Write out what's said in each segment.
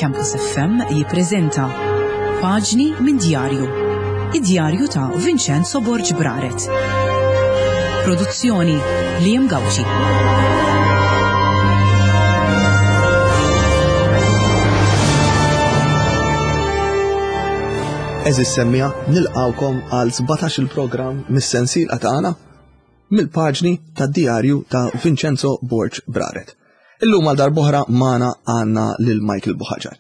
Campus FM jippreżenta Paġni minn Djarju. Id-djarju ta' Vincenzo Borg Braret. Produzzjoni Liam Gauci. Eżis semmija nilqawkom għal 17 il-programm mis-sensil tagħna mill-paġni tad-djarju ta' Vincenzo Borg Braret. Illum għal darb'oħra magħna għandna lil Michael Buħaġar.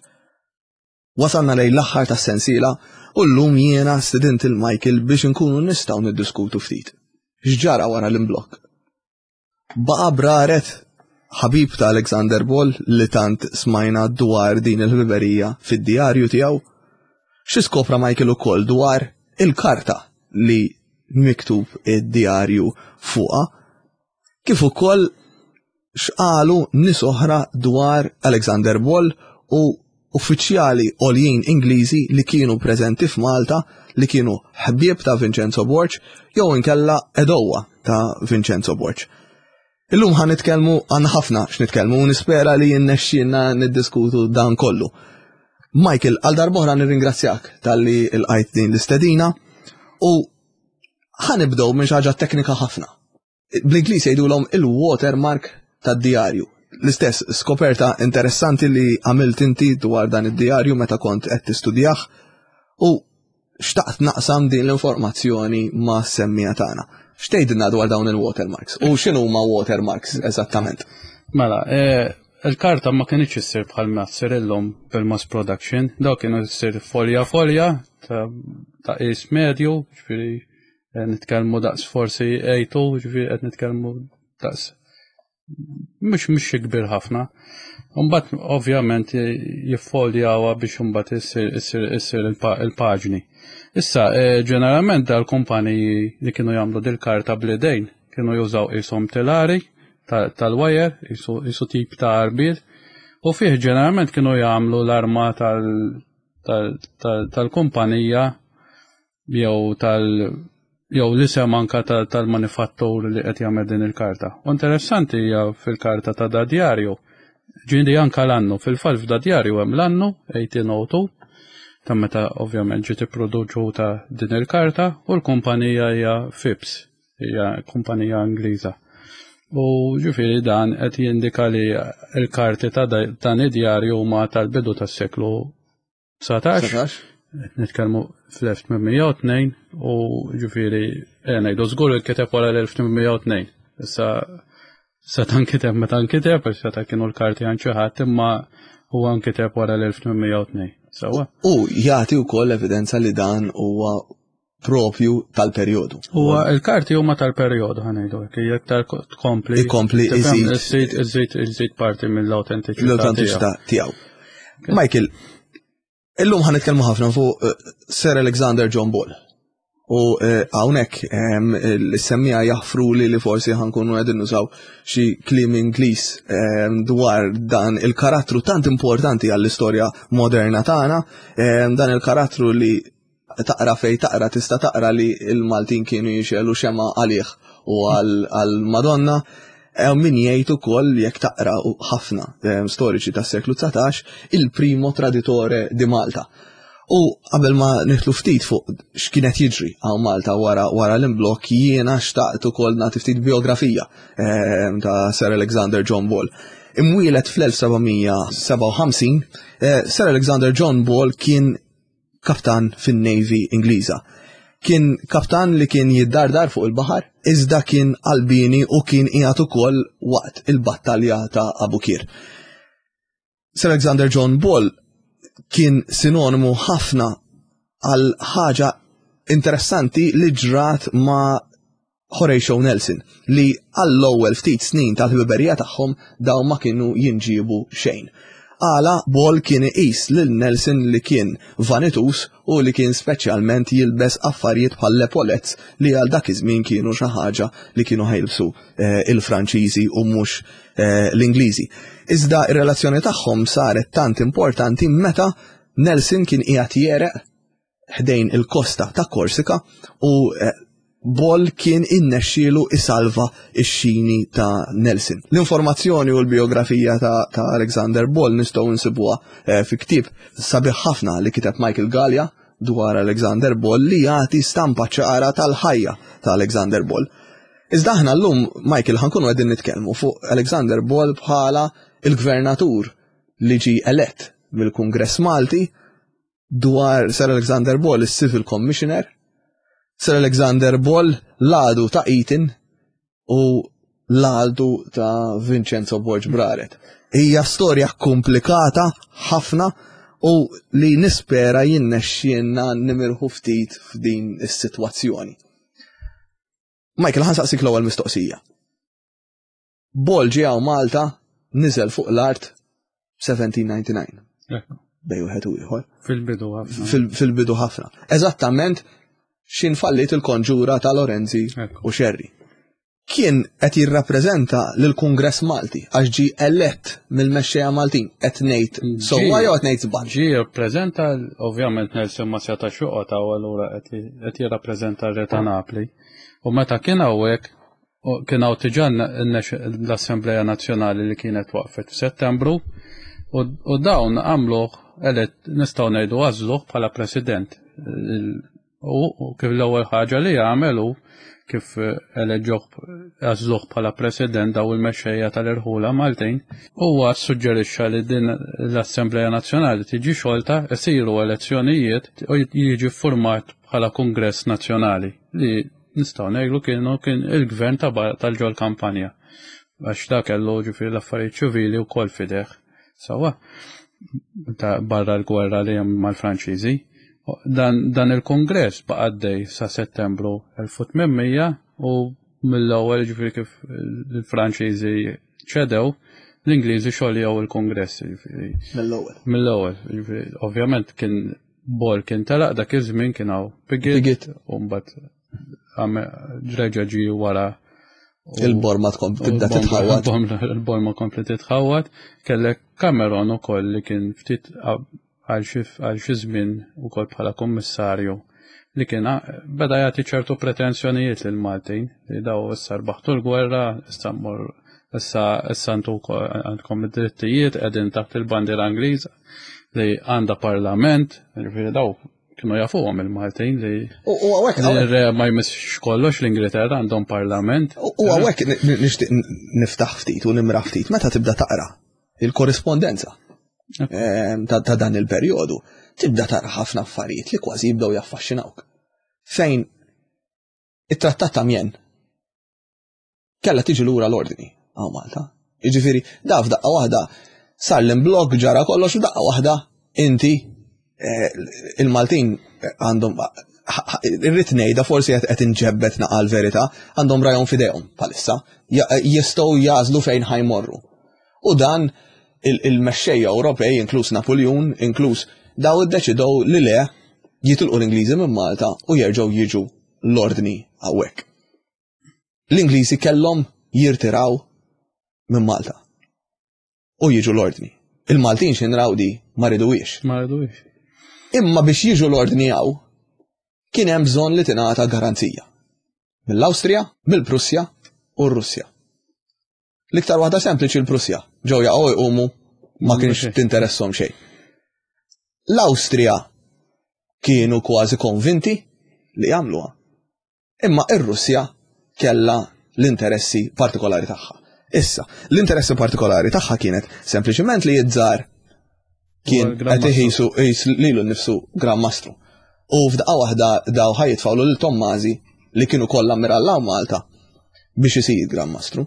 Wasalna lejn l-aħħar tas-sensiela u llum jiena stidint il Michael biex inkunu nistgħu niddiskutu ftit. X'ġara wara l-imblokk? Baqa' Braret ħabib ta' Alexander Ball li tant smajna dwar din il-ħbiberija fid-djarju tiegħu? Xi skopra Michael ukoll dwar il-karta li miktub id-djarju fuqha, kif ukoll x'qalu nies oħra dwar Alexander Ball u uffiċjali għoljin Ingliżi li kienu preżenti f'Malta li kienu ħbieb ta' Vincenzo Borg jew inkella edowa ta' Vincenzo Borg. Illum ħa nitkellmu għandna ħafna x'nitkellmu u nispera li jinnexxielna niddiskutu dan kollu. Michael, għal darb'oħra nirringrazzjak talli lqajt din l-istedina u ħa nibdew minn xi ħaġa teknika ħafna. Bl-Ingliż jgħidulhom il-watermark tad-djarju. L-istess skoperta interessanti li għamilt inti dwar dan id-djarju meta kont qed tistudjah u xtaqt naqsam din l-informazzjoni ma' semmija tagħna. X'tgħidilna dwar dawn il-watermarks u x'inhuma watermarks eżattament? Mela, eh, il-karta ma kienx issir bħal ma ssir illum bil-mass production, daw kienu ssir folja folja ta' qis medju, ġifieri eh, nitkellmu daqs forsi A2, ġifieri qed nitkellmu daqs mhux mhux xi kbir ħafna. Mbagħad ovvjament jiffoljawha biex imbagħad issir issir il-paġni. Issa eh, ġeneralment dal-kumpaniji li kienu jagħmlu dil-karta bl-idejn kienu jużaw qishom tilari tal-wajer, jisu tip ta' arbil, u fih ġeneralment kienu jagħmlu l-arma tal-kumpanija jew tal jew l-isem anka tal-manifattur li qed jagħmel din il-karta. U interessanti hija fil-karta ta' da djarju, ġieli anka l-annu, fil-fatt f'da djarju hemm l-annu 1802 ta' meta ovvjament ġiet ipproduċuta din il-karta u l-kumpanija hija Phipps, hija kumpanija Ingliża. U ġifieri dan qed jindika li l-karti ta' dan id-djarju huma tal-bidu tas-seklu 19. Nitkellmu fl-1802 u ġifieri eh, ngħidu żgur il-kiteb wara l-1802. Issa seta' nkiteb meta nkiteb, għax seta' kienu l-karti għand xi ħadd imma huwa nkiteb wara l-1802. Sewwa. U jagħti wkoll evidenza li dan huwa propju tal-perjodu. Huwa il-karti huma tal-perjodu ħanejdu hekk, jekk tkompli. Ikompli iżid. Iżid iżid parti mill-autentiċità. L-autentiċità tiegħu. Michael, illum ħan nitkellmu ħafna fuq eh, Sir Alexander John Ball. U eh, hawnhekk ehm, l-semmija jaħfru li li forsi ħankunu qegħdin nużaw xi kliem Ingliż ehm, dwar dan il-karattru tant importanti għall-istorja moderna tagħna, ehm, dan il-karattru li taqra fej taqra tista' taqra li l-Maltin kienu jixelu xema għalih u għal-Madonna. Hemm min jgħid ukoll jekk taqra ħafna eh, storiċi tas-seklu 19 il-primo traditore di Malta. U qabel ma nitlu ftit fuq x'kienet jiġri hawn Malta wara wara l-imblokk jiena xtaqt ukoll nagħti ftit biografija eh, ta' Sir Alexander John Ball. Imwielet fl-1757, eh, Sir Alexander John Ball kien kaptan fin-Navy Ingliża. Kien kaptan li kien jiddardar fuq il-baħar, iżda kien qalbieni u kien qiegħed ukoll waqt il-battalja ta' Abukir. Sir Alexander John Ball kien sinonimu ħafna għal ħaġa interessanti li ġrat ma' Horatio Nelson, li għall-ewwel ftit snin tal-ħbiberija tagħhom dawn ma kienu jinġiebu xejn. Għala Ball kien iqis lil Nelson li kien vanituż u li kien speċjalment jilbes affarijiet bħal epaulettes li għal dak iż-żmien kienu xi ħaġa li kienu ħajlbsu eh, il-Franċiżi u mhux eh, l-Ingliżi. Iżda ir-relazzjoni tagħhom saret tant importanti meta Nelson kien qiegħed jereq ħdejn il-kosta ta' Korsika u eh, Ball kien innexxielu isalva x-xini ta' Nelson. L-informazzjoni u l-biografija ta', ta Alexander Ball nistgħu nsibuha eh, fi ktieb sabiħ ħafna li kiteb Michael Gallia dwar Alexander Ball li jagħti stampa ċara tal-ħajja ta' Alexander Ball. Iżda aħna llum, Michael, ħankunu qegħdin nitkellmu fuq Alexander Ball bħala il-gvernatur li ġi elett mill-Kungress Malti dwar Sir Alexander Ball, is-Civil Commissioner, Sir Alexander Ball l-għadu ta' Eton u l-għadu ta' Vincenzo Borg Braret. Hija storja komplikata ħafna u li nispera jinnexxielna nimirħu ftit f'din is-sitwazzjoni. Michael, ħa nsaqsik l-ewwel mistoqsija. Ball ġie hawn Malta niżel fuq l-art 1799. Bej wieħed u ieħor. Fil-bidu ħafna. Fil-bidu ħafna. Eżattament xin fallit il-konġura ta' Lorenzi u Xerri. Kien qed jirrappreżenta lill-Kungress Malti għax ġie elett mill-mexxejja Maltin qed ngħid sewwa jew qed ngħid żball. Ġie jirrappreżenta ovvjament Nelson ma setax joqgħod hawn allura qed jirrappreżenta r-Re ta' Napli. U meta kien hawnhekk kien hawn diġà l-Assembleja Nazzjonali li kienet waqfet f'Settembru u dawn għamluh elett nistgħu ngħidu għażluh bħala President. U kif l-ewwel ħaġa li għamel hu kif eleġġuh għażluh bħala President daw il-mexxejja tal-irħula Maltin, huwa ssuġġerixxa li din l-Assembleja Nazzjonali tiġi xolta, isiru elezzjonijiet u jiġi ffurmat bħala Kungress Nazzjonali li nistgħu ngħidu kienu kien il-gvern tal-ġol kampanja. Għax da kellu ġifieri l-affarijiet ċivili wkoll fideh. Sawa, ta' barra l-gwerra li hemm mal-Franċiżi. Dan, dan il-kongress baqa' għaddej sa' Settembru 1800 u mill-ewwel ġifieri kif il-Franċiżi ċedew, l-Ingliżi xoljew il-kongress. Mill-ewwel. Mill-ewwel, ġifieri ovvjament kien Ball kien telaq dak iż-żmien kien hawn Piggott u mbagħad reġa' ġie wara Il-borma tkun tibda titħawad. Il-borma kompli titħawad. Kellek Cameron ukoll li kien ftit għal xi żmien ukoll bħala kummissarju li kien beda jagħti ċertu pretensjonijiet lil Maltin li daw issa rbaħtu l-gwerra, issa mmur issa issa għandkom id-drittijiet qegħdin taħt il-bandiera Ingliża li għandha parlament, jiġifieri daw kienu jafuhom il-Maltin li U hawnhekk re ma jmissx kollox l-Ingilterra għandhom parlament. U hawnhekk nixtieq niftaħ ftit u nimra ftit meta tibda taqra il-korrispondenza ehm, ta' dan il-perjodu, tibda tara ħafna affarijiet li kważi jibdew jaffaxxinawk. Fejn it-trattat ta' Mjen kellha tiġi lura l-ordni għaw Malta. Jiġifieri, da f'daqqa waħda sar l-imblok ġara kollox u daqqa waħda inti eh, il-Maltin għandhom irrid ngħidha forsi qed inġebbet naqal verità għandhom rajhom f'idejhom bħalissa jistgħu jażlu fejn ħajmorru. U dan il-mexxejja Ewropej, inkluż Napoleon, inkluż daw iddeċidew li le jitilqu l-Ingliżi minn Malta u jerġgħu jiġu l-ordni hawnhekk. L-Ingliżi kellhom jirtiraw minn Malta u jiġu l-ordni. Il-Maltin x'inraw di ma riduhiex. Ma riduhiex. Imma biex jiġu l-ordni hawn kien hemm bżonn li tingħata garanzija. Mill-Awstrija, mill-Prussja u r-Russja. L-iktar waħda sempliċi l-Prussja. Ġew jaqgħu jqumu ma kienx tinteressom xejn. L-Awstrija kienu kważi konvinti li jagħmluha. Imma ir-Russja kellha l-interessi partikolari tagħha. Issa, l-interessi partikolari tagħha kienet sempliċement li jizzar kien qed iħisu qis lilu nnifsu Gran Mastru. U f'daqqa waħda daw ħajitfawlu lil Tommażi li kienu kollha mirallaw Malta biex isir Gran Mastru.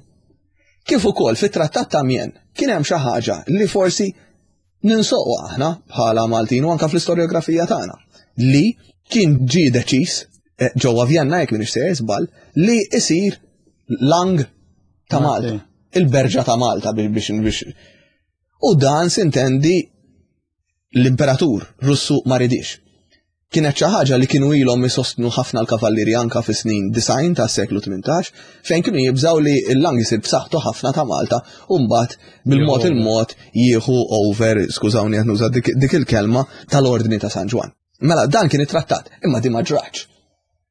Kif ukoll fit-Trattat ta' Mien kien hemm xi ħaġa li forsi ninsoqu aħna bħala Maltin u anka fl-istorjografija tagħna li kien ġie deċiż eh, ġewwa Vjenna jekk minix sejjer żball li isir lang ta' Malta, il-berġa ta' Malta biex biex U dan sintendi l-imperatur Russu ma ridix. Kienet xi ħaġa li kienu ilhom isostnu ħafna l-kavallieri anka fis-snin 90 tas-seklu 18, fejn kienu jibżgħu li l-lang isir b'saħħtu ħafna ta' Malta u mbagħad bil-mod il-mod jieħu over, skużawni qed nuża dik il-kelma, tal-Ordni ta' San Ġwann. Mela dan kien it-trattat, imma di ma ġratx.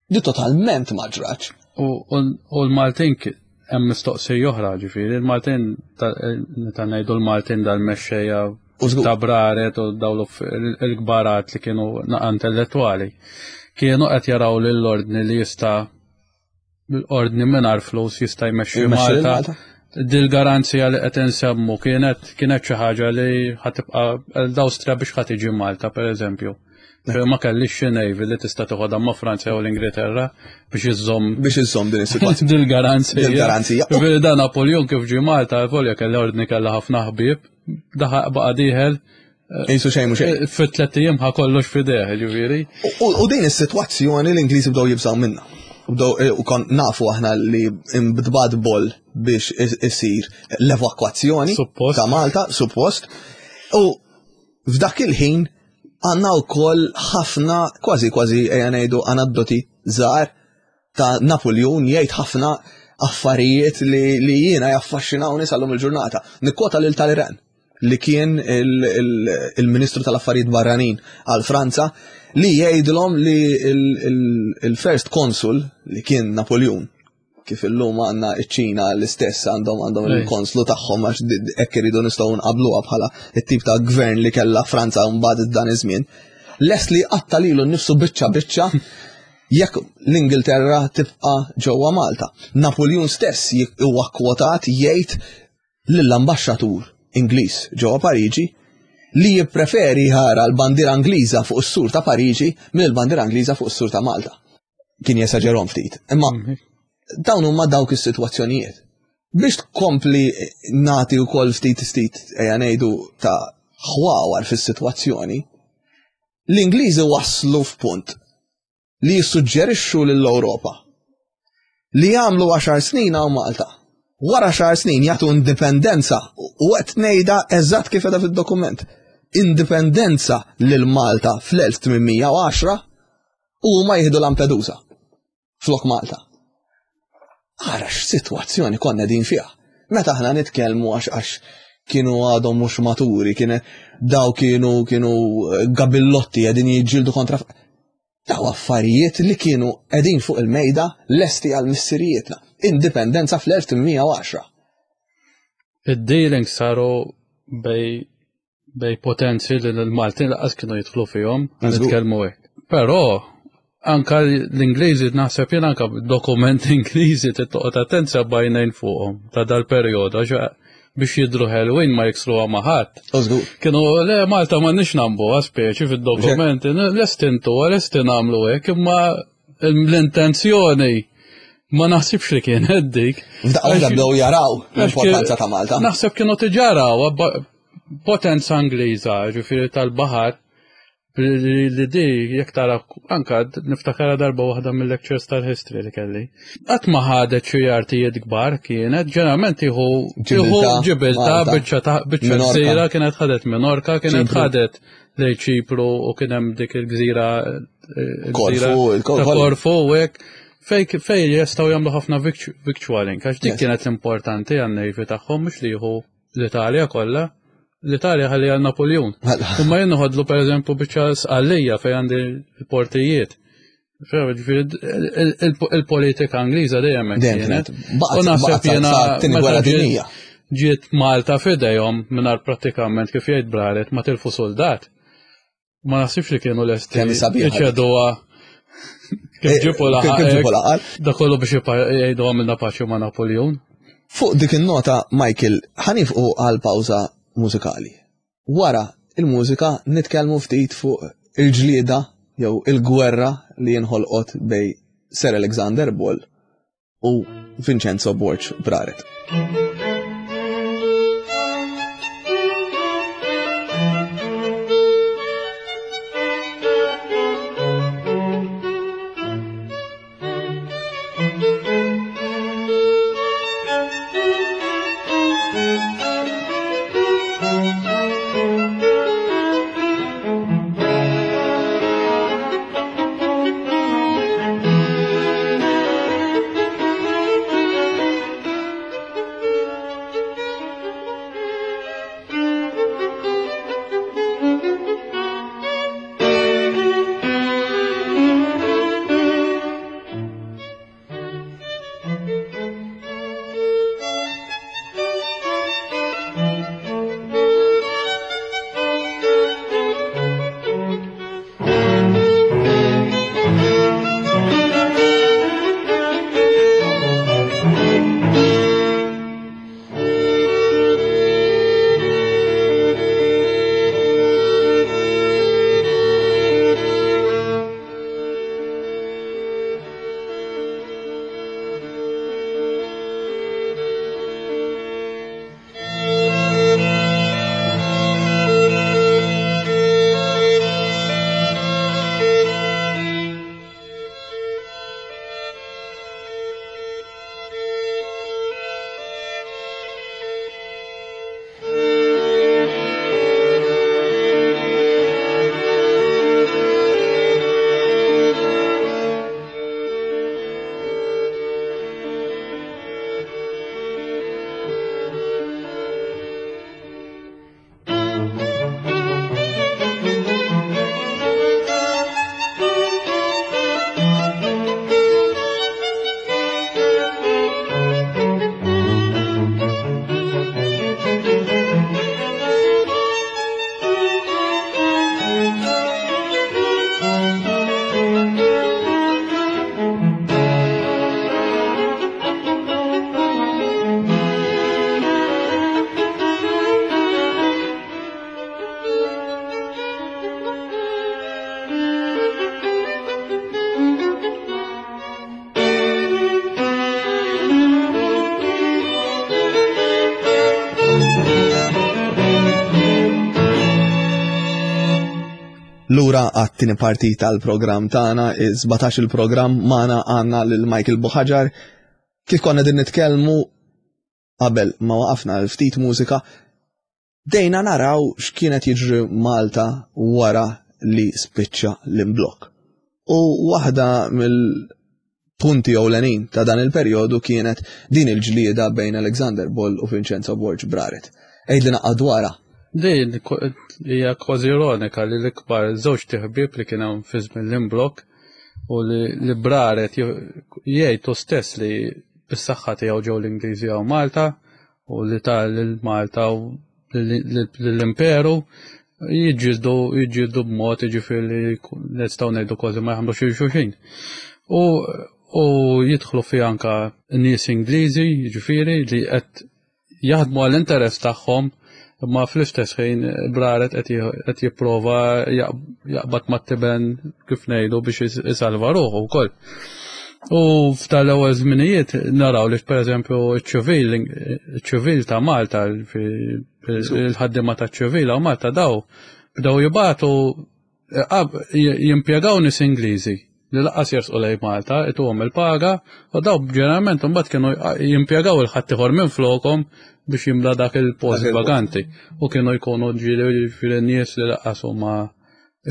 Di totalment ma ġratx. U l-Maltin hemm mistoqsija oħra ġifieri, il-Maltin meta ngħidu l-Maltin dal-mexxejja ta' braret u dawn il-kbarat li kienu naqa intellettwali, kienu qed jaraw lill-ordni li jista' l-ordni mingħajr flus jista' jmexxi Malta. Dil-garanzija li qed insemmu kienet kienet xi ħaġa li ħatibqa' l-Awstrija biex ħa tiġi Malta pereżempju. Ma kellix xi navy li tista' toħodha ma' Franza jew l-Ingilterra biex iżżomm biex iżżomm din is-sitwazzjoni. Dil-garanzija. Dil-garanzija. Ġifieri dan Napoleon kif ġie Malta, volja kellha ordni kellha ħafna ħbieb, daħaq baqa' dieħel Jisu xejn mhux xejn. Fit tliet ijiem ħa kollox f'idejh, ġifieri. U din is-sitwazzjoni l-Ingliżi bdew jibżgħu minnha. Bdew eh, u kon nafu aħna li imbdbad boll biex isir l-evakwazzjoni ta' Malta, suppost. U f'dak il-ħin għandna wkoll ħafna kważi kważi ejja ngħidu anaddoti żgħar ta' Napoleon jgħid ħafna affarijiet li, li jiena jaffaxxinawni sal-lum il-ġurnata. Nikkota lil Talleyrand li kien il-Ministru tal-Affarijiet Barranin għal Franza li jgħidilhom li il-First Consul li kien Napoleon kif illum għandna iċ-Ċina l-istess għandhom għandhom il-konslu tagħhom għax hekk iridu nistgħu nqabluha bħala it-tip ta' gvern li kellha Franza mbagħad dan iż-żmien. Lest li qatta lilu nnifsu biċċa biċċa jekk l-Ingilterra tibqa' ġewwa Malta. Napoleon stess huwa kwotat jgħid lill-ambaxxatur Ingliż ġewwa Pariġi li jippreferi jara l-bandiera Ingliża fuq is-sur ta' Pariġi mill-bandiera Ingliża fuq is-sur ta' Malta. Kien jesaġerhom ftit. Imma mhm. dawn huma dawk is-sitwazzjonijiet. Biex tkompli nagħti wkoll ftit ftit ejja ngħidu ta' ħwawar fis-sitwazzjoni, l-Ingliżi waslu f'punt li jissuġġerixxu lill-Ewropa li jagħmlu għaxar snin hawn Malta. Wara xar snin jagħtu indipendenza u qed ngħidha eżatt kif edha fid-dokument. Indipendenza lil Malta fl-1810 u huma jieħdu Lampedusa flok Malta. Ara x'sitwazzjoni konna din fiha. Meta aħna nitkellmu għax għax kienu għadhom mhux maturi, kien daw kienu kienu gabillotti qegħdin jiġġieldu kontra Daw affarijiet li kienu qegħdin fuq il-mejda lesti għal missirijietna. Indipendenza fl-1810. Id-dealings saru bej bej potenzi li l-Maltin laqas kienu jidħlu fihom, nitkellmu hekk. Però anka l-Ingliżi naħseb jien anka dokumenti Ingliżi tittoqgħod attent bajnejn fuqhom ta' dal-perjodu għax biex jidru ħelwin ma jiksruha ma' ħadd. Kienu le Malta ma nix nambuha speċi fid-dokumenti, lest intuha, lest nagħmlu hekk, imma l-intenzjoni ma naħsibx li kienet dik. F'daqqa waħda bdew jaraw l-importanza ta' Malta. Naħseb kienu tiġaraw potenza Ingliża, ġifieri tal-baħar, Li di, jekk tara, anka niftakara darba waħda mill-lectures tal-history li kelli. Qatt ma ħadet xi artijiet kbar kienet, ġeneralment tieħu ġibilta biċċa ta' biċċa gżira kienet ħadet Minorka, kienet ħadet lej Ċipru u kien hemm dik il-gżira Korfu, Korfu u hekk. Fej fej jistgħu jagħmlu ħafna victualling, għax dik kienet l-importanti għan-navy tagħhom mhux li jieħu l-Italja kollha, l-Italja ħalli għal Napoleon. Mela. Imma jien noħodlu pereżempju biċċa sqallija fejn għandi l-portijiet. Il-politika Ingliża dejjem hekk kienet. U naħseb jiena gwerra dinjija. Ġiet Malta f'idejhom mingħajr prattikament kif jgħid Braret ma tilfu soldat. Ma naħsibx li kienu lesti. Kemm sabiħa. Iċeduha. Kif eh, ġipu laħaq. Kif ġipu laħaq. Da kollu biex jgħidu għamilna paċi ma' Napoleon. Fuq dik in-nota, Michael, ħanifqu għal pawża mużikali. Wara il-mużika nitkellmu ftit fuq il-ġlieda jew il-gwerra li jinħolqot bej Sir Alexander Ball u Vincenzo Borg Braret. Lura għat-tieni parti tal-programm tagħna, 17 il-programm magħna għandna lil Michael Buħaġar. Kif konna din nitkellmu qabel ma waqafna l-ftit mużika, bdejna naraw x'kienet jiġri Malta wara li spiċċa l-imblokk. U waħda mill-punti ewlenin ta' dan il-perjodu kienet din il-ġlieda bejn Alexander Boll u Vincenzo Borg Braret. Għidli naqqa dwarha. Din hija kważi ironika li l-ikbar żewġ tiħbib li kien hemm fi żmien l-imblokk u li Braret jgħid hu stess li bis-saħħa tiegħu ġew l-Ingliżi hawn Malta u li ta' lil Malta u lill-Imperu jiġġieldu jiġġieldu b'mod jiġifieri li nistgħu ngħidu kważi ma jaħmlux lil xulxin. U u jidħlu fi anka nies Ingliżi, jiġifieri li qed jaħdmu għall-interess tagħhom imma fl-istess ħin Braret qed jipprova jaqbad mat-tiben kif ngħidu biex isalva ruħu wkoll. U f'tal-ewwel żminijiet naraw li pereżempju ċ-ċivil ċ-ċivil ta' Malta il-ħaddiema taċ-ċivil hawn Malta daw bdew jibagħtu jimpjegaw nies Ingliżi li laqqas jersqu lejn Malta, ituhom il-paga, u daw ġeneralment imbagħad kienu jimpjegaw il-ħaddieħor minn flokhom biex jimla dak il-post vaganti. U kienu jkunu ġieli nies li laqqas huma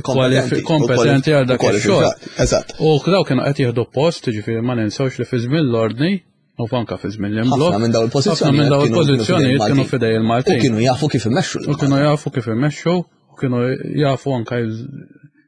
kompetenti għal dak ix-xogħol. Eżatt. U daw kienu qed jieħdu post, ġifieri ma ninsewx li fi żmien l-ordni, u anka fi żmien l-imblok. Ħafna minn dawn il-pożizzjonijiet minn dawn il-pożizzjonijiet kienu fidej il-Maltin. U kienu jafu kif imexxu. U kienu jafu kif imexxu, u kienu jafu anka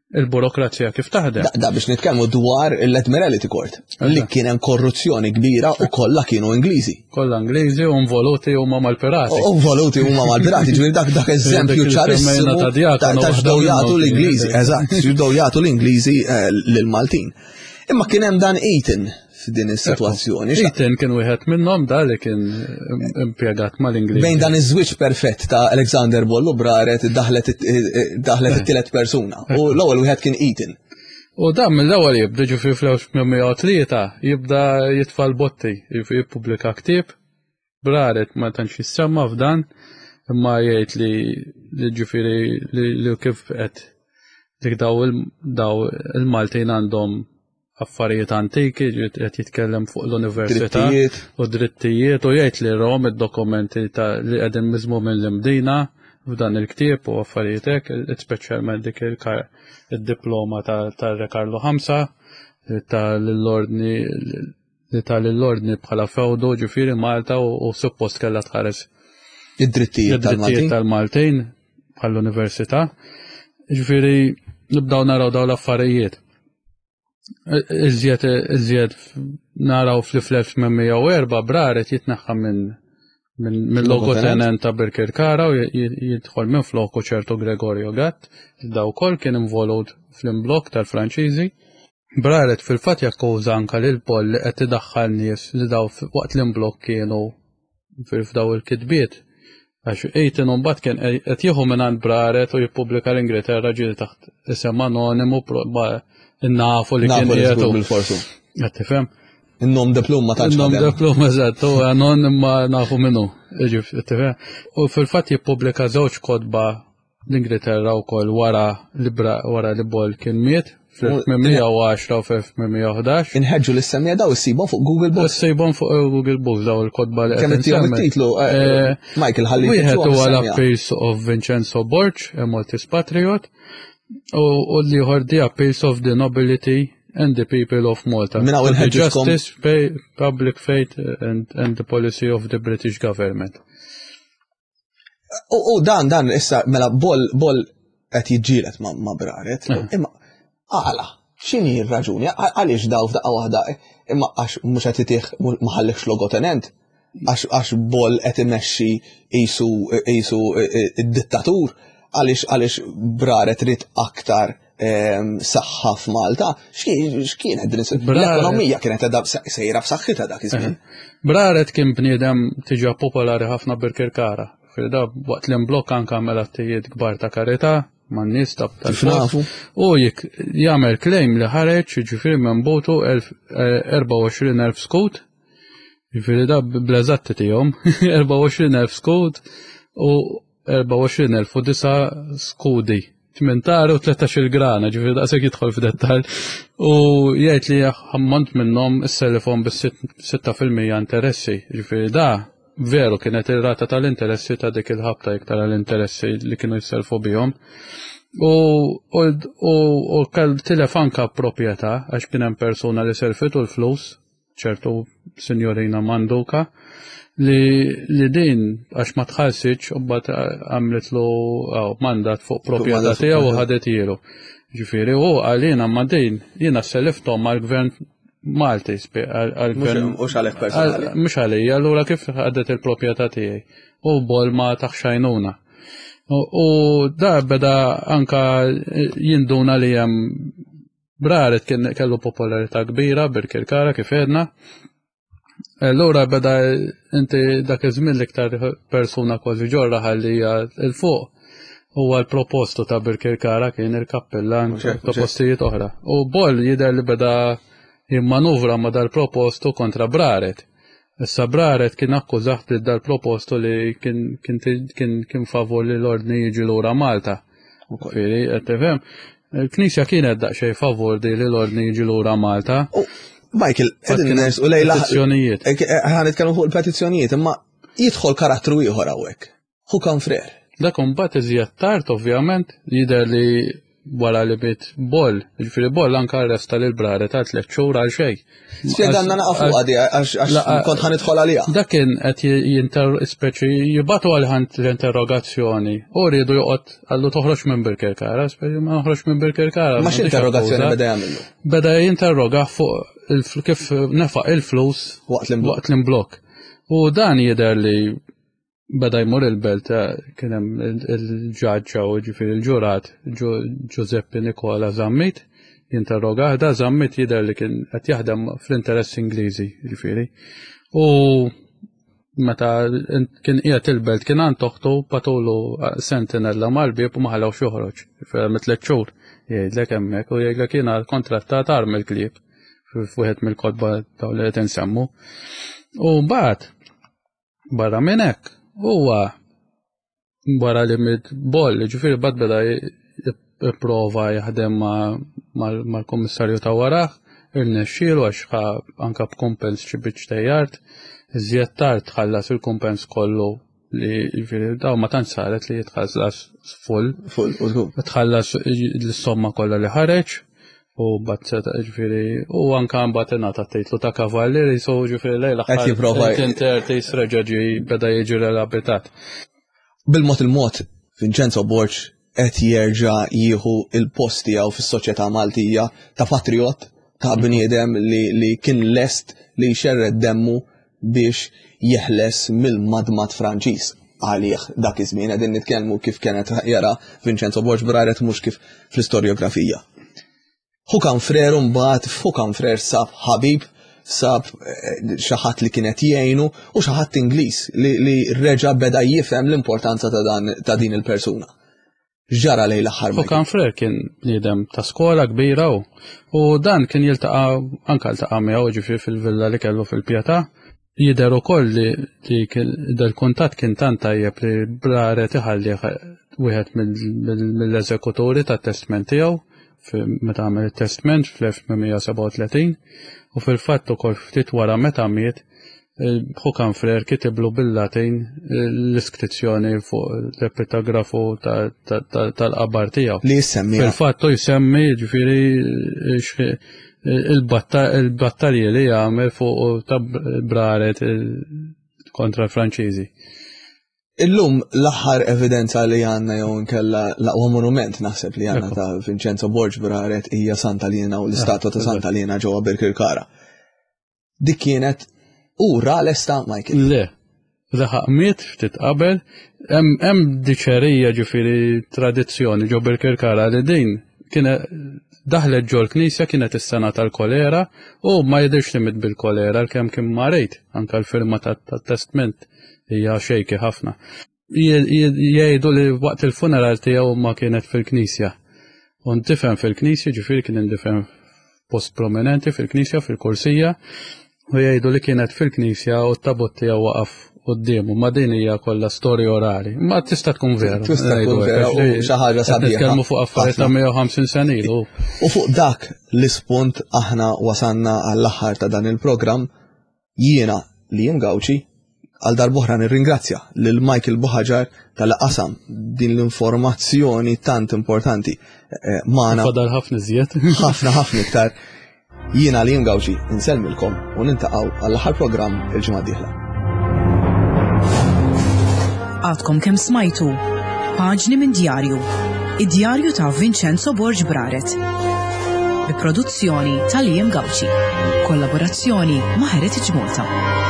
il-burokrazija kif taħdem. Da, da biex nitkellmu dwar l-Admiralty Court li kien hemm korruzzjoni kbira u kollha kienu Ingliżi. Kollha Ingliżi u involuti huma mal-pirati. U involuti huma mal-pirati, ġifieri dak dak eżempju ċarissimu ta' x'dew jagħtu l-Ingliżi, eżatt, x'dew jagħtu l-Ingliżi eh, lill-Maltin. Imma kien hemm dan Eaton f'din is-sitwazzjoni. Eaton kien wieħed minnhom da li kien impjegat mal-Ingliż. Bejn dan iż-żwieġ perfett ta' Alexander Bollu Braret daħlet daħlet it-tielet persuna u l-ewwel wieħed kien Eaton. U dan mill-ewwel jibda ġifieri fl-1803 jibda jitfa' l-botti, jippubblika ktieb Braret ma tantx jissemma f'dan, imma jgħid li li ġifieri li kif qed dik daw il-Maltin għandhom affarijiet antiki qed jitkellem fuq l-università u drittijiet u jgħid li rom id-dokumenti ta' li qegħdin miżmu minn l-Imdina f'dan il-ktieb u affarijiet hekk, speċjalment dik il-diploma tar-Re Karlu Ħamsa tal-ordni li ta lill-Ordni bħala fewdu, ġifieri Malta u suppost kellha tħares id-drittijiet tal-Maltin bħall-università. Ġifieri nibdaw naraw daw l-affarijiet. Iżjed iżjed naraw fl-1804 Braret jitneħħa minn minn logotenent ta' Birkirkara u jidħol minn floku ċertu Gregorio Gatt, daw kol kien involut fl-imblok tal-Franċiżi. Braret fil-fatt jakkuża anke lil Paul li qed idaħħal nies li daw waqt l-imblokk kienu f'daw il-kitbiet. Għax Eaton mbagħad kien qed jieħu mingħand Braret u jippubblika l-Ingilterra ġieli taħt isem anonimu nafu li kien qiegħed. Bil-forsu. Qed tifhem? In-nom de plum ma tantx. In-nom de plum eżatt, u anon imma nafu minnu. U fil-fatt jippubblika żewġ kotba l-Ingilterra wkoll wara li wara li Boll kien miet fl-1810 u fl-1811. Inħeġġu li semmija daw issibhom fuq Google Books. Issibhom fuq Google Books daw il-kotba li Kemm ittihom it-titlu, eh, eh, Michael ħalli. Wieħed huwa l-Appeals of Vincenzo Borg, a Maltese Patriot, u l-ieħor The Appeals of the Nobility and the People of Malta. Minn hawn inħeġġukom. Justice, Public Faith and, and the Policy of the British Government. U dan, dan, issa, mela, bol, bol qed jiġġieled ma, ma braret, eh. imma għala, x'inhi r-raġuni, għaliex daw f'daqqa waħda, imma għax mhux qed itih ma ħallekx logotenent, għax bol qed imexxi qisu qisu id-dittatur, għaliex għaliex braret rid aktar saħħa f'Malta, x'kienet din l-ekonomija kienet edha sejra b'saħħitha dak iż-żmien. Braret kien bniedem tiġa popolari ħafna Birkirkara. Firda waqt l-imblokk anke għamel attijiet kbar ta' karità man-nies ta' tal-nafu. U jik jagħmel claim li ħareġ jiġifieri minn butu 24,000 eh, skut. Jiġifieri da bl-eżatti tiegħhom 24,000 skut u 24,009 skudi. 8 u 13 grana, ġifieri daqshekk jidħol f'dettall. U jgħid li ammont minnhom isselifhom bis-6% interessi, ġifieri da veru kienet ir-rata tal-interessi ta' dik il-ħabta iktar għall-interessi li kienu jisselfu bihom. U, u, u, u kell tilef anka proprjetà għax kien hemm persuna li selfitu l-flus ċertu sinjorina Manduka li, li din għax ma tħallsitx u mbagħad għamlitlu mandat fuq proprjetà tiegħu u ħadet ilu. Ġifieri u għalina ma din jiena selifthom għall-gvern Malti għall-gvern. Mhux għalek personali. Mhux għalija, allura kif ħadet il-proprjetà tiegħi. U bol ma taħxajnuna. U da beda anka jinduna li hemm Braret kien kellu popolarità kbira Birkirkara kif għedna. Allura beda inti dak iż-żmien l-iktar persuna kważi ġorra ħalli il fuq huwa l-propostu ta' Birkirkara kien il-kappellan ta' postijiet oħra. U Boll jidher li beda jimmanuvra ma' dal-propostu kontra Braret. Issa Braret kien akkużah lil dal-propostu li kien kien kien kien favur li l-ordni jiġi lura Malta. Ġifieri, qed tifhem? Il-Knisja kienet daqsxejn favur di li l-ordni jiġi lura Malta. Michael, qegħdin nersqu lejla. Petizzjonijiet. Eh, eh, ħa nitkellmu fuq il-petizzjonijiet, imma jidħol karattru ieħor hawnhekk. Hu kan frer. Dak imbagħad iżjed tard ovvjament jidher li wara li bit Boll, ġifieri Boll anke arresta lil Brare ta' tliet xhur għal xejn. Spjegalna naqa' fuq għadi għax kont ħa nidħol għaliha. Dak kien qed jinter speċi jibatu għal ħant l-interrogazzjoni u riedu joqgħod għallu toħroġ minn Birkirkara, speċi ma noħroġ minn Birkirkara. Ma x'interrogazzjoni beda jagħmlu? Beda jinterroga fuq kif nefaq il-flus waqt l-imblok. U dan jidher li beda jmur il-belt eh, kien hemm il-ġaġġa u ġifieri il-ġurat Giuseppe Nicola Zammit jinterrogah da Zammit jidher li kien qed jaħdem fl-interess Ingliżi ġifieri. U meta kien qiegħed il-belt kien għand toħtu patulu eh, sentinella mal-bieb u ma ħallewx joħroġ. Mitlet xhur jgħidlek hemmhekk u jgħidlek jiena kontrattat arm il-klieb f'wieħed mill-kotba dawn li qed insemmu. U mbagħad Barra minn hekk, huwa wara li mid boll, ġifieri bad beda jipprova jaħdem mal-kummissarju ta' warah, irnexxielu għax ħa anka b'kumpens xi biċċ tejjart, iżjed tard tħallas il-kumpens kollu li ġifieri daw ma tantx saret li jitħallas full. Full, Tħallas l-somma kollha li ħareġ U bat seta ġifiri, u anka mbagħad ingħata titlu ta' kavallieri, so ġifiri lejla. Qed jipprova. Tintertis reġa' ġi beda jiġi relabitat. Bil-mod il-mod, Vincenzo Borg qed jerġa' jieħu il-post tiegħu fis-soċjetà Maltija ta' patriot, ta' bniedem li, li kien lest li jxerred demmu biex jeħles mill-madmad Franċiż għalih dak iż-żmien qegħdin nitkellmu kif kienet jara Vincenzo Borg Braret mhux kif fl-istorjografija. Hu kan frer mbagħad hu kan frer sab ħabib sab eh, xi ħadd li kienet jgħinu u xi ħadd Ingliż li, li reġa' beda jifhem l-importanza ta' dan ta' din il-persuna. X'ġara lejn l-aħħar? U kan Frer kien bniedem ta' skola kbira u u dan kien jiltaqa' anke ltaqa' miegħu ġifieri fil-villa li kellu fil-Pietà. Jidher ukoll li li dal-kuntatt kien tant tajjeb li Braret iħallih wieħed mill-eżekuturi tat-testment tiegħu meta għamel it-testment fl-1837 u fil-fatt ukoll ftit wara meta miet Håkan Frer kitiblu bil-Latin l-iskrizzjoni fuq l-epitagrafu tal-qabar tiegħu. Li jsemmi. Fil-fatt u jsemmi ġifieri il-battalji li jagħmel fuq ta' braret kontra l-Franċiżi. Illum l-aħħar evidenza li għandna jew nkella l-aqwa monument naħseb li għandna ta' Vincenzo Borg Braret hija Santa Lina u l-istatwa ta' Santa Lina ġewwa Birkirkara. Dik kienet u ra lesta Michael. Le, laħaq miet ftit qabel, hemm diċerija ġifieri tradizzjoni ġo Birkirkara li din kienet daħlet ġol knisja kienet is-sena tal-kolera u ma jidhirx li miet bil-kolera l-kemm kien marid anke l-firma tat-testment hija xejki ħafna. Jgħidu li waqt il-funeral tiegħu ma kienet fil-knisja. U ndifen fil-knisja, ġifieri kien indifen post prominenti fil-knisja, fil-kursija, u jgħidu li kienet fil-knisja u t-tabut tiegħu waqaf quddiemu, ma din hija kollha storja orali. Ma tista' tkun vera. Tista' tkun vera u xi ħaġa sabiħa. Nitkellmu fuq affarijiet ta' 150 sena ilu. U fuq dak l-ispunt aħna wasanna għall-aħħar ta' dan il-programm jiena li jien Gawċi għal darb'oħra nirringrazzja lil Michael Buħaġar tal-qasam din l-informazzjoni tant importanti eh, magħna. Fadal ħafna iżjed. Ħafna ħafna iktar. Jiena Liam Gauci insellmilkom u nintaqgħu għall-aħħar programm il-ġimgħa d-dieħla. Għadkom kemm smajtu Paġni minn djarju, id-djarju ta' Vincenzo Borg Braret. Bi produzzjoni ta' Liam Gauci. Kollaborazzjoni ma' Heritage Malta.